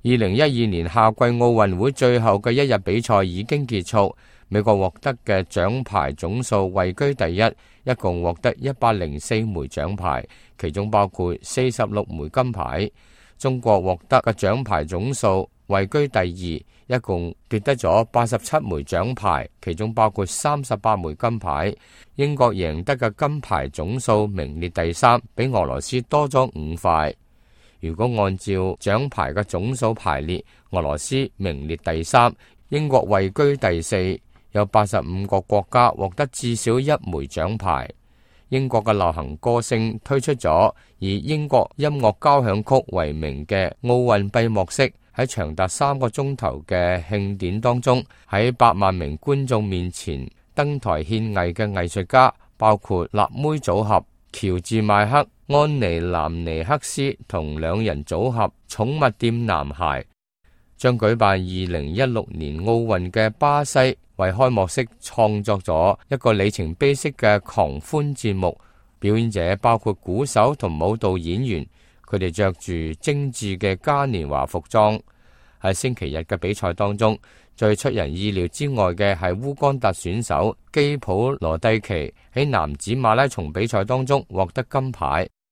2012年夏季奧運會最後嘅一日比賽已經結束，美國獲得嘅獎牌總數位居第一，一共獲得104枚獎牌，其中包括46枚金牌。中國獲得嘅獎牌總數位居第二，一共奪得咗87枚獎牌，其中包括38枚金牌。英國贏得嘅金牌總數名列第三，比俄羅斯多咗5塊。如果按照獎牌嘅總數排列，俄羅斯名列第三，英國位居第四，有85個國家獲得至少1枚獎牌。英國嘅流行歌星推出咗以英國音樂交響曲為名嘅奧運閉幕式，喺長達3個鐘頭嘅慶典當中，喺8萬名觀眾面前登台獻藝嘅藝術家包括辣妹組合喬治邁克、安妮南尼克斯同兩人組合寵物店男孩。將舉辦2016年奧運嘅巴西為開幕式創作咗一個里程碑式嘅狂歡節目，表演者包括鼓手同舞蹈演員，佢哋着住精緻嘅嘉年華服裝。喺星期日嘅比賽當中，最出人意料之外嘅係烏干達選手基普羅蒂奇喺男子馬拉松比賽當中獲得金牌。